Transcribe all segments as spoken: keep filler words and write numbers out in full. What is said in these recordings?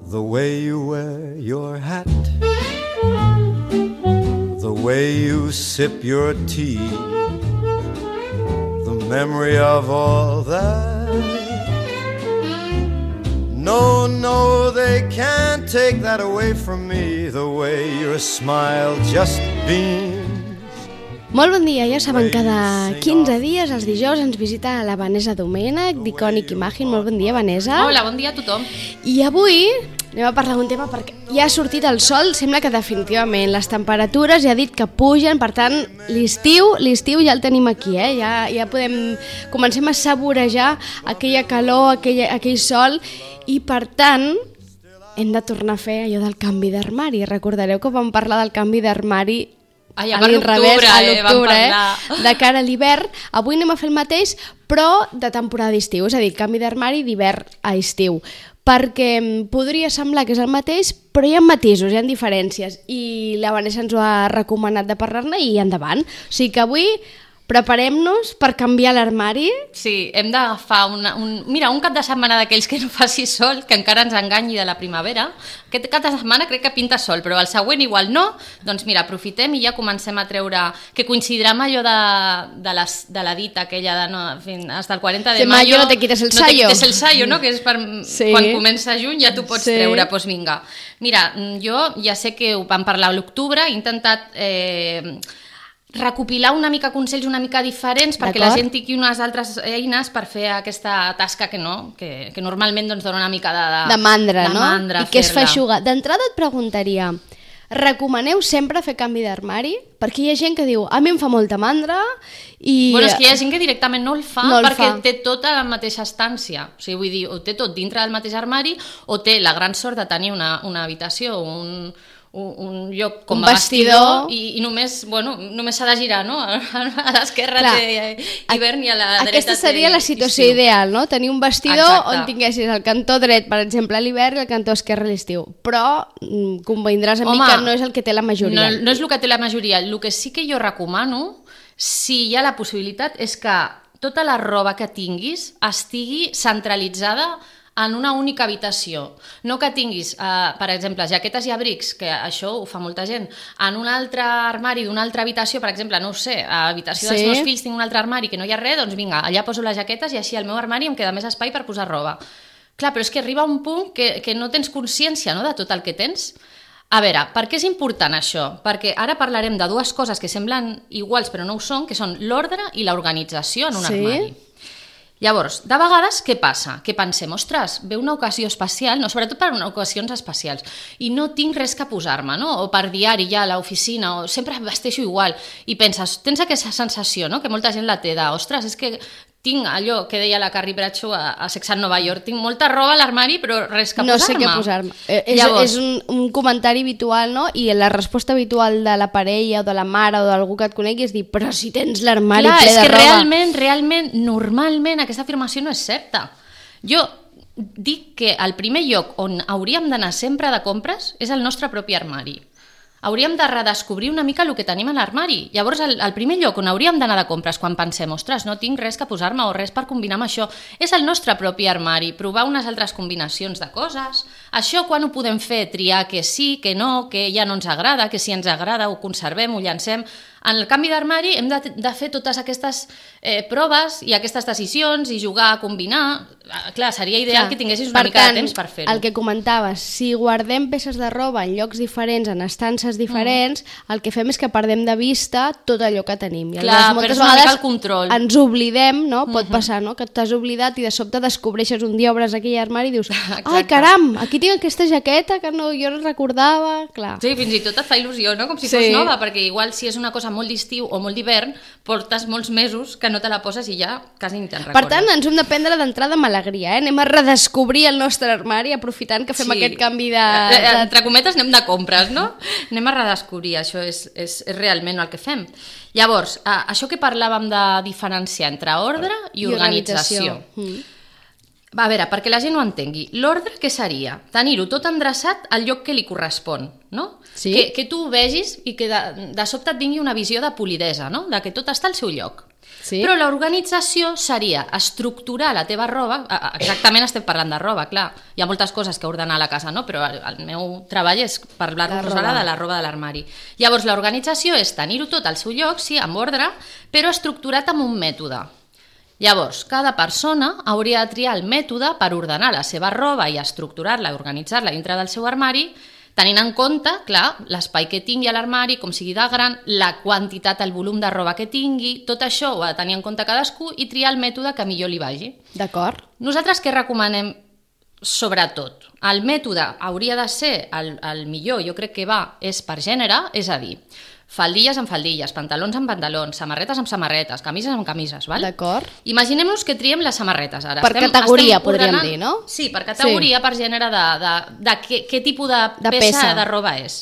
The way you wear your hat, the way you sip your tea, the memory of all that. No, no, they can't take that away from me, the way your smile just beams. Molt bon dia, ja saben, cada quinze dies, els dijous, ens visita la Vanessa Domènech, d'Iconic Imagine. Molt bon dia, Vanessa. Hola, bon dia a tothom. I avui anem a parlar d'un tema perquè ja ha sortit el sol, sembla que definitivament les temperatures ja ha dit que pugen, per tant, l'estiu, l'estiu ja el tenim aquí, eh? Ja, ja podem, comencem a saborejar aquella calor, aquell, aquell sol, i per tant hem de tornar a fer allò del canvi d'armari. Recordareu que vam parlar del canvi d'armari Ai, a l'octubre, eh, vam parlar. Eh, de cara a l'hivern. Avui anem a fer el mateix, però de temporada d'estiu, és a dir, canvi d'armari d'hivern a estiu. Perquè podria semblar que és el mateix, però hi ha matisos, hi ha diferències, i la Vanessa ens ho ha recomanat de parlar-ne i endavant. O sigui que avui preparem-nos per canviar l'armari. Sí, hem d'agafar una, un, mira, un cap de setmana d'aquells que no faci sol, que encara ens enganyi de la primavera. Aquest cap de setmana crec que pinta sol, però el següent igual no. Doncs mira, aprofitem i ja comencem a treure, que coincidirà amb allò de, de, les, de la dita aquella de no, fin, hasta el quaranta de mayo no te quites el no sayo. te quites el sayo, no? Que és per, sí. Quan comença juny ja tu pots sí. treure, doncs vinga. Mira, jo ja sé que ho vam parlar a l'octubre, he intentat eh, recopilar una mica consells una mica diferents perquè la gent tingui unes altres eines per fer aquesta tasca que no, que, que normalment doncs, dona una mica de, de, de mandra, de no? mandra, I que es fa eixugar. D'entrada et preguntaria, recomaneu sempre fer canvi d'armari? Perquè hi ha gent que diu, a mi em fa molta mandra i... Bueno, és que hi ha gent que directament no el fa no el perquè fa. té tota la mateixa estància. O sigui, vull dir, o té tot dintre del mateix armari o té la gran sort de tenir una, una habitació, un... un, un lloc com un a vestidor, vestidor i, i només, bueno, només s'ha de girar, no? A l'esquerra té hivern i a la dreta aquesta seria té la situació estiu. Ideal, no? Tenir un vestidor Exacte. On tinguessis el cantó dret, per exemple, a l'hivern i el cantó esquerre a l'estiu. Però mm, convindràs amb mi que no és el que té la majoria. No, no és el que té la majoria. El que sí que jo recomano, si hi ha la possibilitat, és que tota la roba que tinguis estigui centralitzada en una única habitació. No que tinguis, eh, per exemple, jaquetes i abrics, que això ho fa molta gent, en un altre armari d'una altra habitació, per exemple, no ho sé, a l'habitació sí. dels meus fills tinc un altre armari que no hi ha res, doncs vinga, allà poso les jaquetes i així al meu armari em queda més espai per posar roba. Clar, però és que arriba un punt que, que no tens consciència, no?, de tot el que tens. A veure, per què és important això? Perquè ara parlarem de dues coses que semblen iguals però no ho són, que són l'ordre i l'organització en un sí? armari. Llavors, de vegades, què passa? Que pensem, ostres, ve una ocasió especial, no, sobretot per ocasions especials, i no tinc res que posar-me, no? O per diari ja a l'oficina, o sempre vesteixo igual, i penses, tens aquesta sensació, no?, que molta gent la té de, ostres, és que tinc allò que deia la Carrie Bradshaw a, a Sex and Nova York, tinc molta roba a l'armari però res que no posar-me. No sé què posar-me. Eh, és Llavors, és un, un comentari habitual, no? I la resposta habitual de la parella o de la mare o d'algú que et conegui és dir, però si tens l'armari ple de roba. Clar, és que realment, realment, normalment aquesta afirmació no és certa. Jo dic que el primer lloc on hauríem d'anar sempre de compres és el nostre propi armari. Hauríem de redescobrir una mica el que tenim a l'armari. Llavors, el, el primer lloc on hauríem d'anar de compres quan pensem, ostres, no tinc res que posar-me o res per combinar amb això, és el nostre propi armari, provar unes altres combinacions de coses. Això quan ho podem fer? Triar que sí, que no, que ja no ens agrada, que si ens agrada ho conservem, ho llancem. En el canvi d'armari hem de, de fer totes aquestes eh, proves i aquestes decisions i jugar a combinar. Clar, seria ideal Clar. que tinguessis una per mica tant, de temps per fer-ho. El que comentaves, si guardem peces de roba en llocs diferents, en estances diferents, mm. el que fem és que perdem de vista tot allò que tenim. I Clar, moltes perds una mica vegades el control. Ens oblidem, no? Pot Mm-hmm. passar, no? Que t'has oblidat i de sobte descobreixes un dia, obres aquell armari i dius, ai, caram, aquí tinc aquesta jaqueta que no, jo no recordava. Clar. Sí, fins i tot et fa il·lusió, no? Com si sí. fos nova, perquè igual si és una cosa molt d'estiu o molt d'hivern, portes molts mesos que no te la poses i ja quasi ni te'n recordes. Per tant, ens hem de prendre d'entrada amb alegria, eh? Anem a redescobrir el nostre armari aprofitant que fem sí. aquest canvi de, de... Entre cometes anem de compres, no? Anem a redescobrir, això és, és, és realment el que fem. Llavors, eh, això que parlàvem de diferenciar entre ordre i, I organització. organització. Mm. Va, a veure, perquè la gent ho entengui, l'ordre què seria? Tenir-ho tot endreçat al lloc que li correspon, no? Sí. Que, que tu ho vegis i que de, de sobte et vingui una visió de polidesa, no? De que tot està al seu lloc. Sí. Però l'organització seria estructurar la teva roba, exactament estem parlant de roba, clar, hi ha moltes coses que ordenar a la casa, no? Però el, el meu treball és parlar-nos ara de la roba de l'armari. Llavors l'organització és tenir-ho tot al seu lloc, sí, amb ordre, però estructurat amb un mètode. Llavors, cada persona hauria de triar el mètode per ordenar la seva roba i estructurar-la i organitzar-la dintre del seu armari, tenint en compte, clar, l'espai que tingui a l'armari, com sigui de gran, la quantitat, el volum de roba que tingui, tot això ho ha de tenir en compte cadascú i triar el mètode que millor li vagi. D'acord. Nosaltres què recomanem? Sobretot, el mètode hauria de ser el, el millor, jo crec que va, és per gènere, és a dir, faldilles amb faldilles, pantalons amb pantalons, samarretes amb samarretes, camises amb camises, val? D'acord. Imaginem-nos que triem les samarretes ara. Per estem, categoria, estem podríem ordenant... dir, no? Sí, per categoria, sí. Per gènere de, de, de què, què tipus de, de peça, peça de roba és.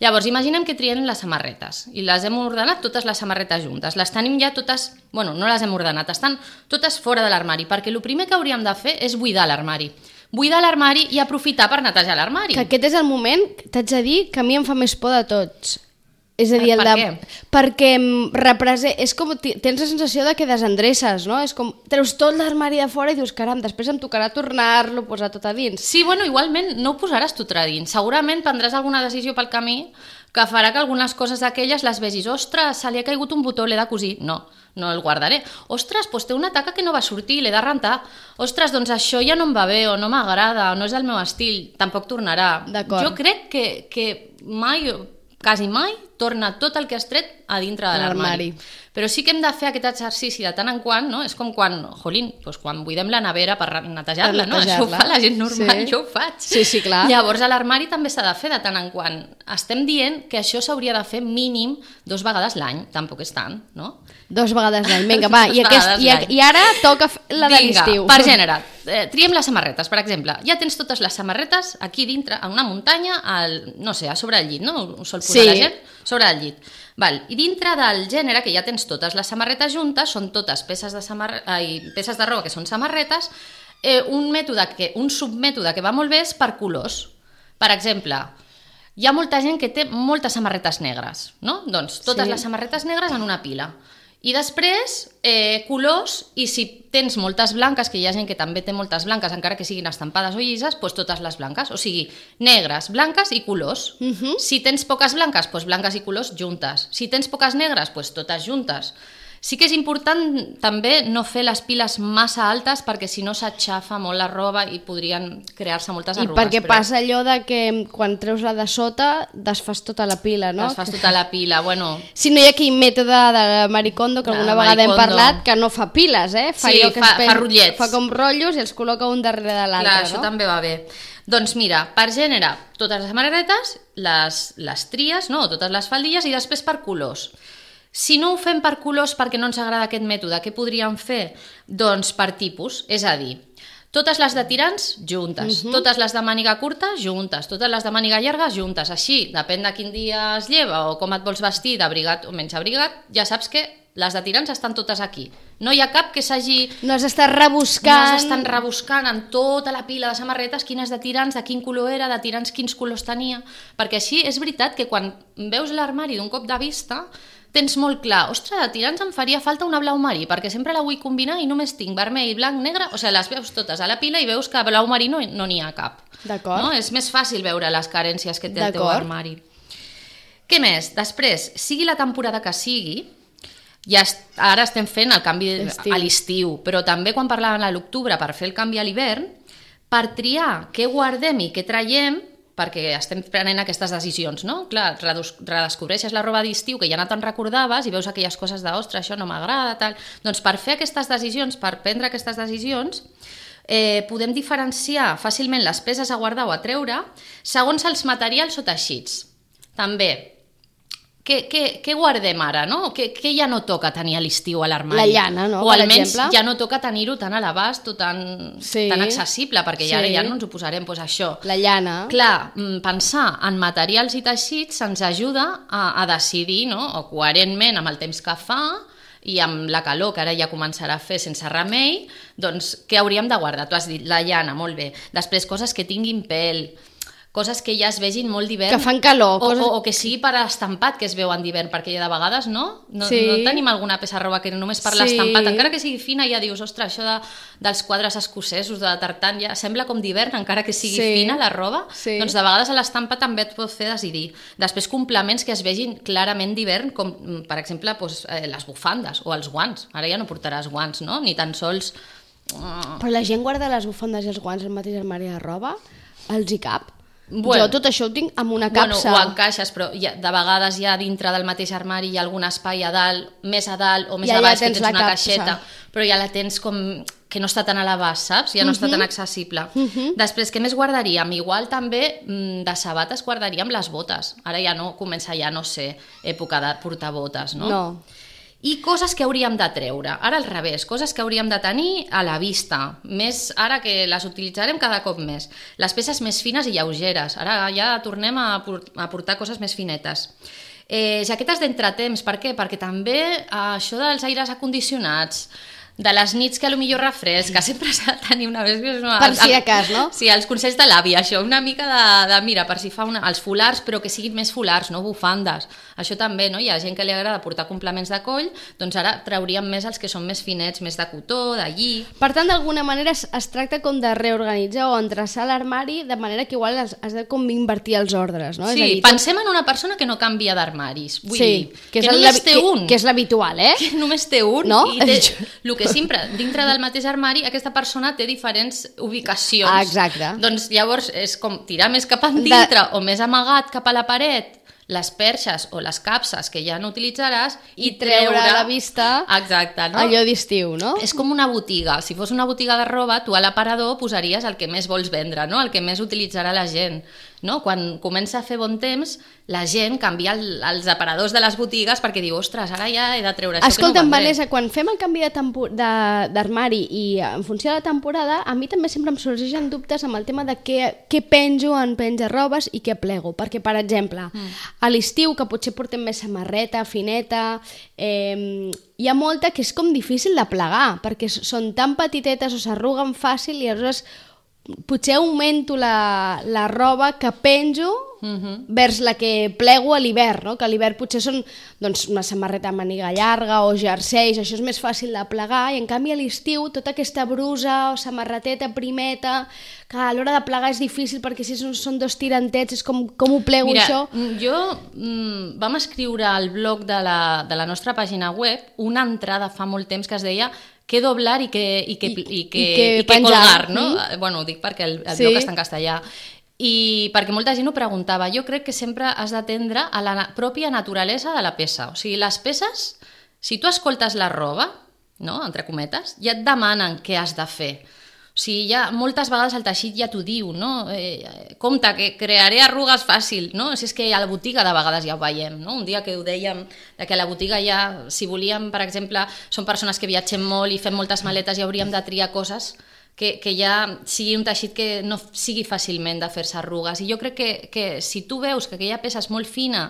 Llavors, imaginem que triem les samarretes i les hem ordenat totes les samarretes juntes. Les tenim ja totes... Bueno, no les hem ordenat, estan totes fora de l'armari, perquè el primer que hauríem de fer és buidar l'armari. Buidar l'armari i aprofitar per netejar l'armari. Que aquest és el moment, t'haig de dir, que a mi em fa més por de tots. És a dir, el per de... què? Perquè representa... És com... Tens la sensació de que desendreces, no? És com... Treus tot l'armari de fora i dius, caram, després em tocarà tornar-lo, posar tot a dins. Sí, bueno, igualment no ho posaràs tot a dins. Segurament prendràs alguna decisió pel camí que farà que algunes coses d'aquelles les vegis. Ostres, se li ha caigut un botó, l'he de cosir. No, no el guardaré. Ostres, doncs té una taca que no va sortir, l'he de rentar. Ostres, doncs això ja no em va bé, o no m'agrada, o no és el meu estil, tampoc tornarà. Jo crec que, que mai... quasi mai torna tot el que has tret a dintre de l'armari. Però sí que hem de fer aquest exercici de tant en quant, no? És com quan, jolín, doncs quan buidem la nevera per netejar-la, no? Això ho fa la gent normal, sí. Jo ho faig. Sí, sí, clar. Llavors a l'armari també s'ha de fer de tant en quant. Estem dient que això s'hauria de fer mínim dos vegades l'any, tampoc és tant, no? Dos vegades l'any, vinga, va. I, aquest, i, i ara toca la de l'estiu. Per gènere, eh, triem les samarretes, per exemple. Ja tens totes les samarretes aquí dintre, en una muntanya, al, no sé, a sobre el llit, no? Ho sol posar sí. La gent? Sobre el llit. Val. I dintre del gènere, que ja tens totes les samarretes juntes, són totes peces de, samar... Ai, peces de roba que són samarretes, eh, un, mètode que, un submètode que va molt bé és per colors. Per exemple, hi ha molta gent que té moltes samarretes negres, no? Doncs totes sí. Les samarretes negres en una pila. I després, eh, colors, i si tens moltes blanques, que hi ha gent que també té moltes blanques, encara que siguin estampades o llises, doncs totes les blanques. O sigui, negres, blanques i colors. Uh-huh. Si tens poques blanques, doncs blanques i colors juntes. Si tens poques negres, doncs totes juntes. Sí que és important també no fer les piles massa altes perquè si no s'aixafa molt la roba i podrien crear-se moltes arrugues. I perquè però... passa allò de que quan treus la de sota desfas tota la pila, no? Desfas tota la pila, bueno... Si no hi ha aquell mètode de Marie Kondo que alguna vegada hem parlat, que no fa piles, eh? Fa sí, que fa, pen... fa rotllets. Fa com rotllos i els col·loca un darrere de l'altre, Clar, no? això també va bé. Doncs mira, per gènere, totes les samarretes, les, les tries, no? Totes les faldilles i després per colors. Si no ho fem per colors perquè no ens agrada aquest mètode, què podríem fer? Doncs per tipus, és a dir, totes les de tirants, juntes, uh-huh. Totes les de màniga curta, juntes, totes les de màniga llarga, juntes, així, depèn de quin dia es lleva o com et vols vestir, d'abrigat o menys abrigat, ja saps que les de tirants estan totes aquí. No hi ha cap que s'hagi... No has d'estar rebuscant... No s'estan rebuscant en tota la pila de samarretes quines de tirants, de quin color era, de tirants quins colors tenia, perquè així és veritat que quan veus l'armari d'un cop de vista tens molt clar, ostres, de tirants em faria falta una blau marí, perquè sempre la vull combinar i només tinc vermell, blanc, negre, o sigui, les veus totes a la pila i veus que blau marí no n'hi no ha cap. D'acord. No? És més fàcil veure les carències que té el teu armari. Què més? Després, sigui la temporada que sigui, ja est ara estem fent el canvi a l'estiu, però també quan parlàvem a l'octubre per fer el canvi a l'hivern, per triar què guardem i què traiem, perquè estem prenent aquestes decisions, no? Clar, redescobreixes la roba d'estiu que ja no te'n recordaves i veus aquelles coses de, ostres, això no m'agrada, tal... Doncs per fer aquestes decisions, per prendre aquestes decisions, eh, podem diferenciar fàcilment les peces a guardar o a treure segons els materials o teixits. També, què, què, què guardem ara, no? Què, què ja no toca tenir a l'estiu a l'armari? La llana, no? O per almenys exemple. Ja no toca tenir-ho tan a l'abast o tan, sí. tan accessible, perquè sí. ja, ja no ens ho posarem, doncs això. La llana. Clar, pensar en materials i teixits ens ajuda a, a decidir, no? O coherentment amb el temps que fa i amb la calor que ara ja començarà a fer sense remei, doncs què hauríem de guardar? Tu has dit la llana, molt bé. Després coses que tinguin pèl, coses que ja es vegin molt d'hivern. Que fan calor. O, coses... o, o que sigui per estampat que es veuen d'hivern, perquè de vegades no, no, sí. no tenim alguna peça de roba que només per sí. l'estampat, encara que sigui fina ja dius, ostres, això de, dels quadres escocesos de tartan ja sembla com d'hivern, encara que sigui sí. fina la roba, sí. doncs de vegades a l'estampa també et pot fer decidir. Després complements que es vegin clarament d'hivern, com per exemple doncs, eh, les bufandes o els guants, ara ja no portaràs guants, no? Ni tan sols... Però la gent guarda les bufandes i els guants al mateix armari de roba? Els hi cap? Bueno, jo tot això ho tinc amb una capsa. Bueno, ho encaixes, però ja, de vegades ja dintre del mateix armari hi ha algun espai a dalt, més a dalt o més ja, a baix, ja que tens una capsa. caixeta, però ja la tens com que no està tan a l'abast, saps? Ja no uh -huh. està tan accessible. Uh -huh. Després, què més guardaríem? Igual també de sabates guardaríem les botes. Ara ja no, comença ja, no sé, època de portar botes, no? No. I coses que hauríem de treure, ara al revés, coses que hauríem de tenir a la vista, més ara que les utilitzarem cada cop més. Les peces més fines i lleugeres, ara ja tornem a, a portar coses més finetes. Eh, jaquetes d'entretemps, per què? Perquè també eh, això dels aires acondicionats, de les nits que potser refresca, sempre s'ha de tenir una... una per si de cas, no? Sí, els consells de l'àvia, això, una mica de, de mira, per si fa una, els folars, però que siguin més folars, no bufandes. Això també, no? Hi ha gent que li agrada portar complements de coll, doncs ara trauríem més els que són més finets, més de cotó, de lli... Per tant, d'alguna manera es, es tracta com de reorganitzar o endreçar l'armari de manera que igual has, has de com invertir els ordres, no? Sí, és a dir, pensem en una persona que no canvia d'armaris, vull sí, dir, que, que és només el, té que, un. Que és l'habitual, eh? Que només té un, no? I té, el que sempre, dintre del mateix armari, aquesta persona té diferents ubicacions. Ah, exacte. Doncs llavors és com tirar més cap endintre de... o més amagat cap a la paret les perxes o les capses que ja no utilitzaràs i, i treure, treure a la vista exacte, no? allò d'estiu, no? És com una botiga. Si fos una botiga de roba, tu a l'aparador posaries el que més vols vendre, no? El que més utilitzarà la gent. No? Quan comença a fer bon temps, la gent canvia el, els aparadors de les botigues perquè diu, ostres, ara ja he de treure això. Escolta'm, que no Vanessa, quan fem el canvi d'armari i en funció de la temporada, a mi també sempre em sorgeixen dubtes amb el tema de què, què penjo en penjarrobes i què plego, perquè, per exemple, mm. a l'estiu, que potser portem més samarreta, fineta, eh, hi ha molta que és com difícil de plegar, perquè són tan petitetes o s'arruguen fàcil i aleshores potser augmento la, la roba que penjo uh-huh. vers la que plego a l'hivern, no? Que a l'hivern potser són doncs, una samarreta de màniga llarga o jerseis, això és més fàcil de plegar, i en canvi a l'estiu tota aquesta brusa o samarreteta primeta, que a l'hora de plegar és difícil perquè si són, són dos tirantets, és com, com ho plego. Mira, això? jo mm, vam escriure al blog de la, de la nostra pàgina web una entrada fa molt temps que es deia què doblar i què, i què, i, i què, i què, i què colgar, no? Mm. Bueno, ho dic perquè el, el sí. blog està en castellà. I perquè molta gent ho preguntava, jo crec que sempre has d'atendre a la pròpia naturalesa de la peça. O sigui, les peces, si tu escoltes la roba, no? Entre cometes, ja et demanen què has de fer. O sigui, ja, moltes vegades el teixit ja t'ho diu, no? Eh, compte, que crearé arrugues fàcil, no? Si és que a la botiga de vegades ja ho veiem, no? Un dia que ho dèiem, que a la botiga ja, si volíem, per exemple, són persones que viatgem molt i fem moltes maletes i hauríem de triar coses que, que ja sigui un teixit que no sigui fàcilment de fer-se arrugues. I jo crec que, que si tu veus que aquella peça és molt fina,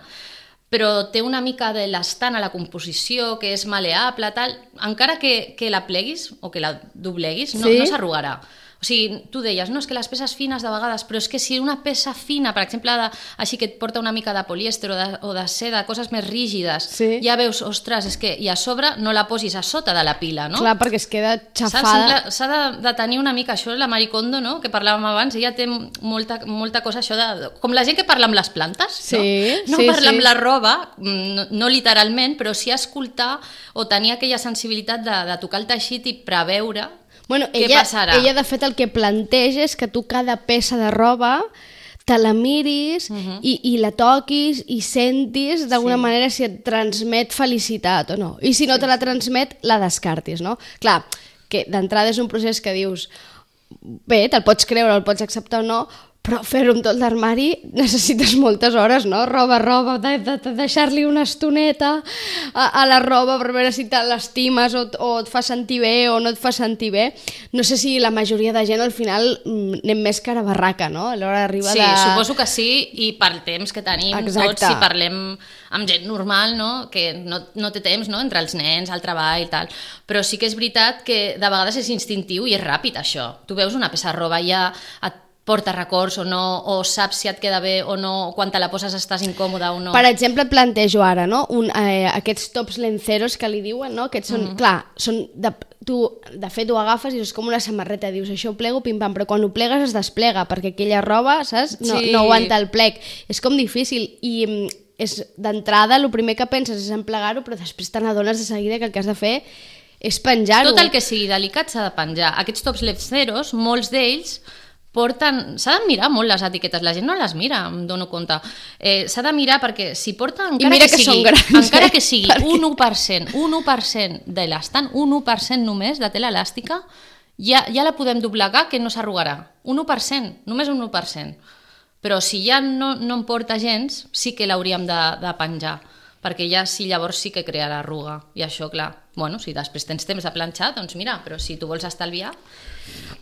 però té una mica de l'estant a la composició, que és maleable, tal, encara que, que la pleguis o que la dobleguis, no, sí? no s'arrugarà. O sigui, tu deies, no, és que les peces fines de vegades, però és que si una peça fina, per exemple, de, així que et porta una mica de polièster o de, o de seda, coses més rígides, sí. ja veus, ostres, és que i a sobre no la posis a sota de la pila, no? Clar, perquè es queda xafada. S'ha de, de tenir una mica això, la Marie Kondo, no?, que parlàvem abans, ella té molta, molta cosa, això de... Com la gent que parla amb les plantes, sí, no? No sí, parla sí. amb la roba, no, no literalment, però sí escoltar o tenir aquella sensibilitat de, de tocar el teixit i preveure. Bueno, què ella, passarà? Ella, de fet, el que planteja és que tu cada peça de roba te la miris uh-huh. i, i la toquis i sentis d'alguna sí. manera si et transmet felicitat o no. I si no sí. te la transmet, la descartis, no? Clar, que d'entrada és un procés que dius bé, te'l pots creure, el pots acceptar o no, però fer-ho amb tot l'armari necessites moltes hores, no? Roba, roba, de, de, de deixar-li una estoneta a, a la roba per veure si te l'estimes o, o et fa sentir bé o no et fa sentir bé. No sé si la majoria de gent al final anem més cara barraca, no? A l'hora d'arribar sí, de... Sí, suposo que sí, i pel temps que tenim Exacte. Tots, si parlem amb gent normal, no? Que no, no té temps, no? Entre els nens, el treball i tal, però sí que és veritat que de vegades és instintiu i és ràpid això. Tu veus una peça de roba ja et porta records o no, o saps si et queda bé o no, quan te la poses estàs incòmoda o no. Per exemple, et plantejo ara, no? Un, eh, aquests tops lenceros que li diuen, no? Aquests són, mm-hmm. clar, són de, tu, de fet ho agafes i és com una samarreta, dius això ho plego, pim-pam, però quan ho plegues es desplega, perquè aquella roba, saps? No, sí. no aguanta el plec. És com difícil i és d'entrada, el primer que penses és en plegar-ho, però després te n'adones de seguida que el que has de fer és penjar-ho. Tot el que sigui delicat s'ha de penjar. Aquests tops lenceros, molts d'ells porten... S'ha de mirar molt les etiquetes, la gent no les mira, em dono compte. Eh, s'ha de mirar perquè si porta, encara mira que, que sigui, grans, encara eh? que sigui perquè... un u per cent, un u per cent de l'estant, un u per cent només de tela elàstica, ja, ja la podem doblegar que no s'arrugarà. Un u per cent, només un u per cent. Però si ja no, no en porta gens, sí que l'hauríem de, de penjar, perquè ja sí, llavors sí que crea l'arruga. I això, clar, bueno, si després tens temps de planxar, doncs mira, però si tu vols estalviar...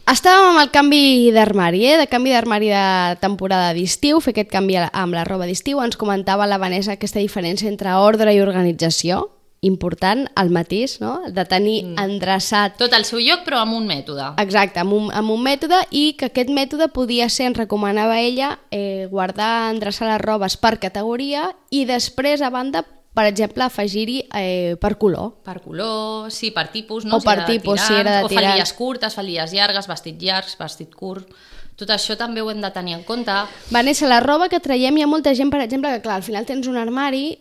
Estàvem amb el canvi d'armari, eh? de canvi d'armari de temporada d'estiu, fer aquest canvi amb la roba d'estiu. Ens comentava la Vanessa aquesta diferència entre ordre i organització, important, el matís, no? De tenir mm. endreçat... Tot al seu lloc, però amb un mètode. Exacte, amb un, amb un mètode, i que aquest mètode podia ser, ens recomanava ella, eh, guardar, endreçar les robes per categoria i després, a banda, per exemple, afegir-hi eh, per color. Per color, sí, per tipus, no? O per si tipus, si era de tirants, o faldilles curtes, faldilles llargues, vestit llargs, vestit curt... Tot això també ho hem de tenir en compte. Vanessa, la roba que traiem, hi ha molta gent, per exemple, que clar, al final tens un armari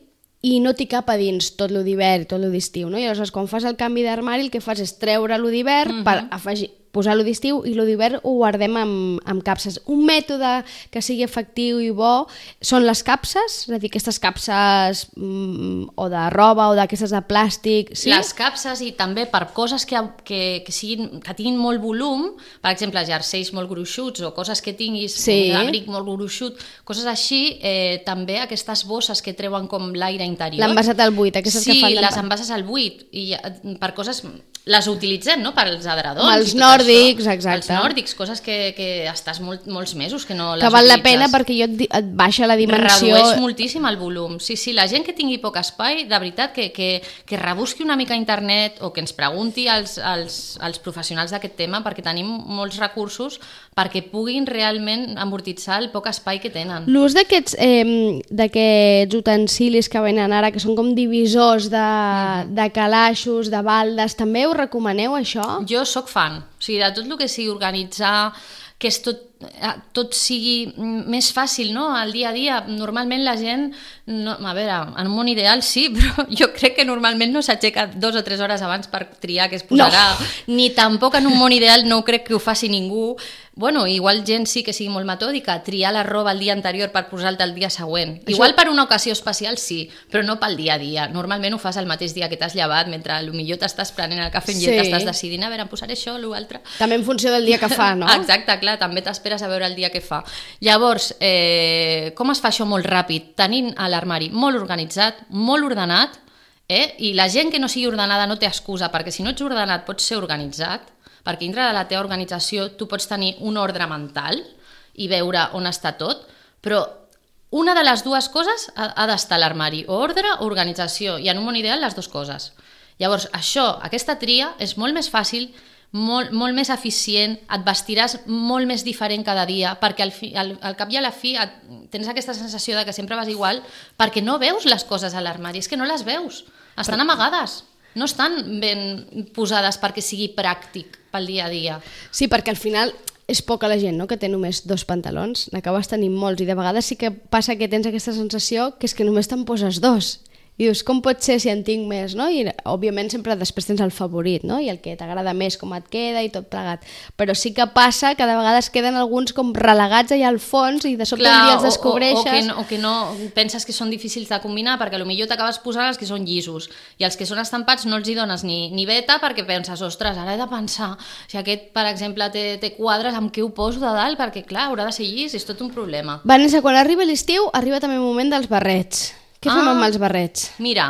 i no t'hi cap a dins tot lo d'hivern i tot lo d'estiu, no? I llavors, quan fas el canvi d'armari, el que fas és treure lo d'hivern mm-hmm. per afegir... posar-lo d'estiu i lo d'hivern ho guardem amb, amb capses. Un mètode que sigui efectiu i bo són les capses, és a dir, aquestes capses mm, o de roba o d'aquestes de plàstic. Sí? Les capses i també per coses que, que, que, siguin, que tinguin molt volum, per exemple, jerseis molt gruixuts o coses que tinguis, sí. un abric molt gruixut, coses així, eh, també aquestes bosses que treuen com l'aire interior. L'envasat al buit, aquestes sí, que fan... Sí, les envases al buit, i per coses... Les utilitzem, no?, per als adredons. Els nòrdics, exacte. Els nòrdics, coses que, que estàs molt, molts mesos que no les que val utilitzes. La pena perquè jo et, et baixa la dimensió... Redueix moltíssim el volum. Sí, sí, la gent que tingui poc espai, de veritat, que, que, que rebusqui una mica a internet o que ens pregunti als, als, als professionals d'aquest tema, perquè tenim molts recursos perquè puguin realment amortitzar el poc espai que tenen. L'ús d'aquests eh, d'aquests utensilis que venen ara, que són com divisors de, mm. de calaixos, de baldes, també ho recomaneu, això? Jo sóc fan. O sigui, de tot el que sigui organitzar, que és tot, tot sigui més fàcil, no?, al dia a dia. Normalment la gent, no, a veure, en un món ideal sí, però jo crec que normalment no s'aixeca dos o tres hores abans per triar què es posarà, no. Ni tampoc en un món ideal no crec que ho faci ningú. Bueno, igual gent sí que sigui molt metòdica, triar la roba el dia anterior per posar-te el dia següent. Això... Igual per una ocasió especial sí, però no pel dia a dia. Normalment ho fas el mateix dia que t'has llevat, mentre potser t'estàs prenent el cafè i sí. T'estàs decidint, a veure, em posaré això o l'altre. També en funció del dia que fa, no? Exacte, clar, també t'esperes a veure el dia que fa. Llavors, eh, com es fa això molt ràpid? Tenint l'armari molt organitzat, molt ordenat, eh? I la gent que no sigui ordenada no té excusa, perquè si no ets ordenat pots ser organitzat, perquè dintre de la teva organització tu pots tenir un ordre mental i veure on està tot, però una de les dues coses ha, ha d'estar a l'armari, o ordre o organització, i en un món ideal les dues coses. Llavors, això, aquesta tria és molt més fàcil, molt, molt més eficient, et vestiràs molt més diferent cada dia, perquè al, fi, al, al cap i a la fi et, tens aquesta sensació de que sempre vas igual, perquè no veus les coses a l'armari, és que no les veus, estan amagades. No estan ben posades perquè sigui pràctic pel dia a dia. Sí, perquè al final és poca la gent, no?, que té només dos pantalons, n'acabes tenint molts, i de vegades sí que passa que tens aquesta sensació que és que només te'n poses dos. I dius, com pot ser si en tinc més, no? I òbviament sempre després tens el favorit, no? I el que t'agrada més, com et queda i tot plegat. Però sí que passa que de vegades queden alguns com relegats allà al fons i de sobte un dia els descobreixes. O, o, o, que no, o que no penses que són difícils de combinar, perquè potser t'acabes posant els que són llisos i els que són estampats no els hi dones ni, ni beta, perquè penses, ostres, ara he de pensar si aquest, per exemple, té, té quadres, amb què ho poso de dalt, perquè clar, haurà de ser llis, és tot un problema. Vanessa, quan arriba l'estiu, arriba també el moment dels barrets. Què fem ah, amb els barrets? Mira,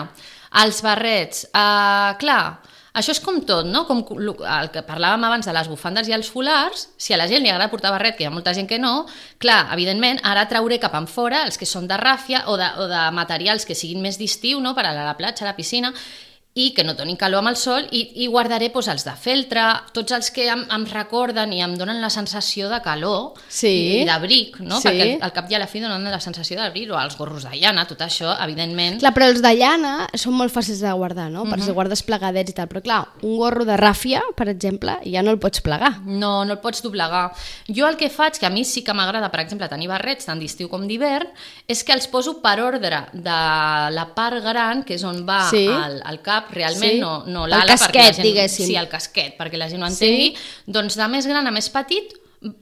els barrets, uh, clar, això és com tot, no? Com el que parlàvem abans de les bufandes i els folars, si a la gent li agrada portar barret, que hi ha molta gent que no, clar, evidentment, ara trauré cap enfora els que són de ràfia o de, o de materials que siguin més d'estiu, no?, per anar a la platja, a la piscina, i que no donin calor amb el sol, i, i guardaré doncs, els de feltre, tots els que em, em recorden i em donen la sensació de calor sí. i, i d'abric, no? Sí. Perquè al, al cap i a la fi donen la sensació d'abric, o els gorros de llana, tot això, evidentment... Clar, però els de llana són molt fàcils de guardar, no? Per uh -huh. si guardes plegadets i tal, però clar, un gorro de ràfia, per exemple, ja no el pots plegar. No, no el pots doblegar. Jo el que faig, que a mi sí que m'agrada, per exemple, tenir barrets tant d'estiu com d'hivern, és que els poso per ordre de la part gran, que és on va sí. el, el cap, realment sí. no, no el l'ala, casquet, perquè la gent, diguéssim. sí, el casquet, perquè la gent ho entengui, sí. doncs de més gran a més petit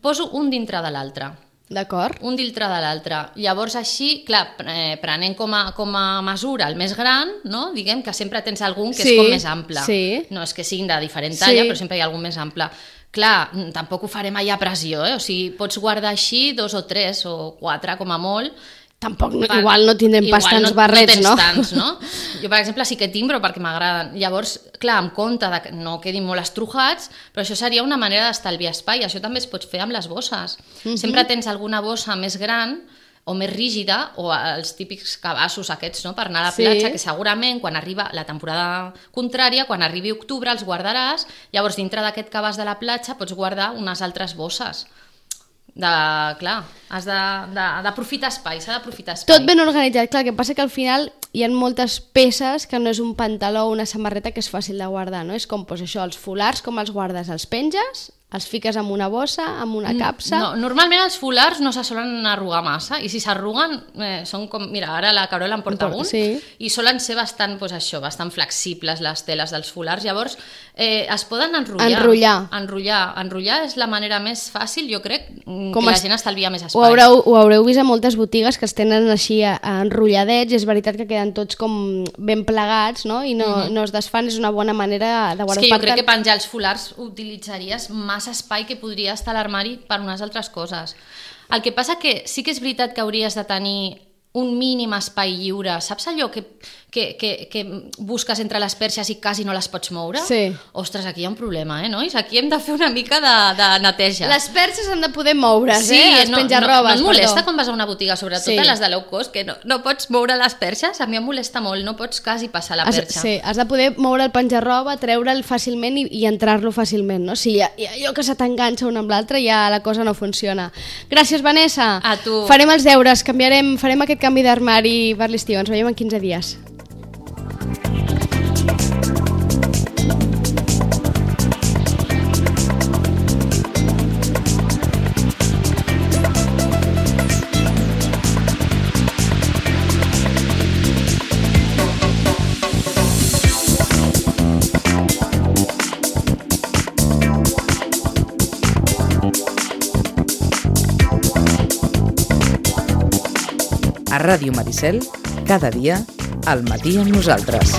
poso un dintre de l'altre. D'acord. Un dintre de l'altre. Llavors així, clar, eh, prenent com a, com a mesura el més gran, no? Diguem que sempre tens algun que sí, és com més ample. Sí. No és que siguin de diferent talla, sí. però sempre hi ha algun més ample. Clar, tampoc ho farem allà a pressió, eh? O sigui, pots guardar així dos o tres o quatre com a molt. Tampoc, no, igual no tindrem pas tants no, barrets, no? no? Tants, no? Jo, per exemple, sí que tinc, però perquè m'agraden. Llavors, clar, em compte de que no quedin molt estrujats, però això seria una manera d'estalviar espai. Això també es pot fer amb les bosses. Uh-huh. Sempre tens alguna bossa més gran o més rígida, o els típics cabassos aquests, no?, per anar a la platja, sí. que segurament quan arriba la temporada contrària, quan arribi octubre els guardaràs, llavors dintre d'aquest cabàs de la platja pots guardar unes altres bosses. De, clar, has d'aprofitar espai, s'ha d'aprofitar espai. Tot ben organitzat, clar, el que passa que al final hi ha moltes peces que no és un pantaló o una samarreta que és fàcil de guardar, no? És com, doncs això, els folars, com els guardes? Els penges, els fiques en una bossa, en una capsa... No, normalment els folars no se solen arrugar massa, i si s'arruguen eh, són com... Mira, ara la Carola en porta un, sí. i solen ser bastant, doncs això, bastant flexibles les teles dels folars, llavors eh, es poden enrotllar. Enrotllar. Enrotllar. Enrotllar és la manera més fàcil, jo crec, com que la gent estalvia més espai. Ho haureu, ho haureu vist a moltes botigues que els tenen així enrotlladets, i és veritat que queden tots com ben plegats, no? I no, mm-hmm. no es desfan, és una bona manera de guardar. És que jo crec que penjar els folars utilitzaries massa espai que podria estar a l'armari per unes altres coses. El que passa que sí que és veritat que hauries de tenir un mínim espai lliure. Saps allò que, que, que, que busques entre les perxes i quasi no les pots moure? Sí. Ostres, aquí hi ha un problema, eh, nois? Aquí hem de fer una mica de, de neteja. Les perxes han de poder moure's, sí, eh? Els no, penjarrobes, no, no et molesta perdó. quan vas a una botiga, sobretot sí. a les de low cost, que no, no pots moure les perxes? A mi em molesta molt, no pots quasi passar la perxa. Has, sí, has de poder moure el penjarroba, treure'l fàcilment i, i entrar-lo fàcilment, no? Si hi ha, hi ha allò que se t'enganxa un amb l'altre, ja la cosa no funciona. Gràcies, Vanessa. A tu. Farem els deures, canviarem, farem aquest canvi d'armari per l'estiu. Ens veiem en quinze dies. A Ràdio Maricel, cada dia, al matí amb nosaltres.